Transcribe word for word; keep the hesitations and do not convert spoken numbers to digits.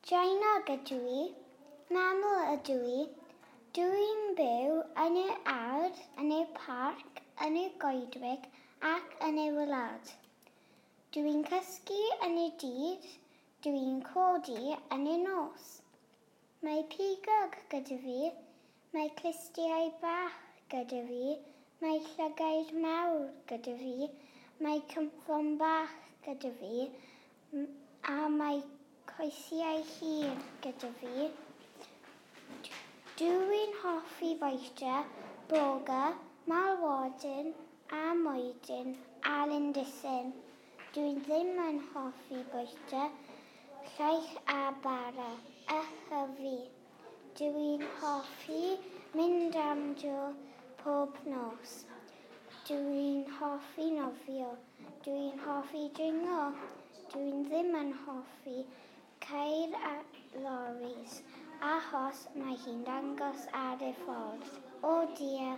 Draenog ydw i. Maml ydw i. Dw i'n byw yn y ardd, yn y parc, yn y goedwig ac yn y wlad. Dw i'n cysgu yn y dydd, dw i'n codi yn y nos. Mae pigog gyda fi, mae clustiau bach gyda fi, mae llygaid mawr gyda fi, mae cynffon bach gyda fi, a mae coesau hir gyda fi. Dw i'n hoffi bwyta broga, malwodyn a mwydyn a lindysyn. Dw i ddim yn hoffi bwyta llaeth a bara, a hyfu. Dw i'n hoffi mynd am dro pob nos. Dw i'n hoffi nofio. Dw i'n hoffi dringo. Dw i ddim yn hoffi ceir a loris, achos mae hi'n dangos ar y ffordd. O dear!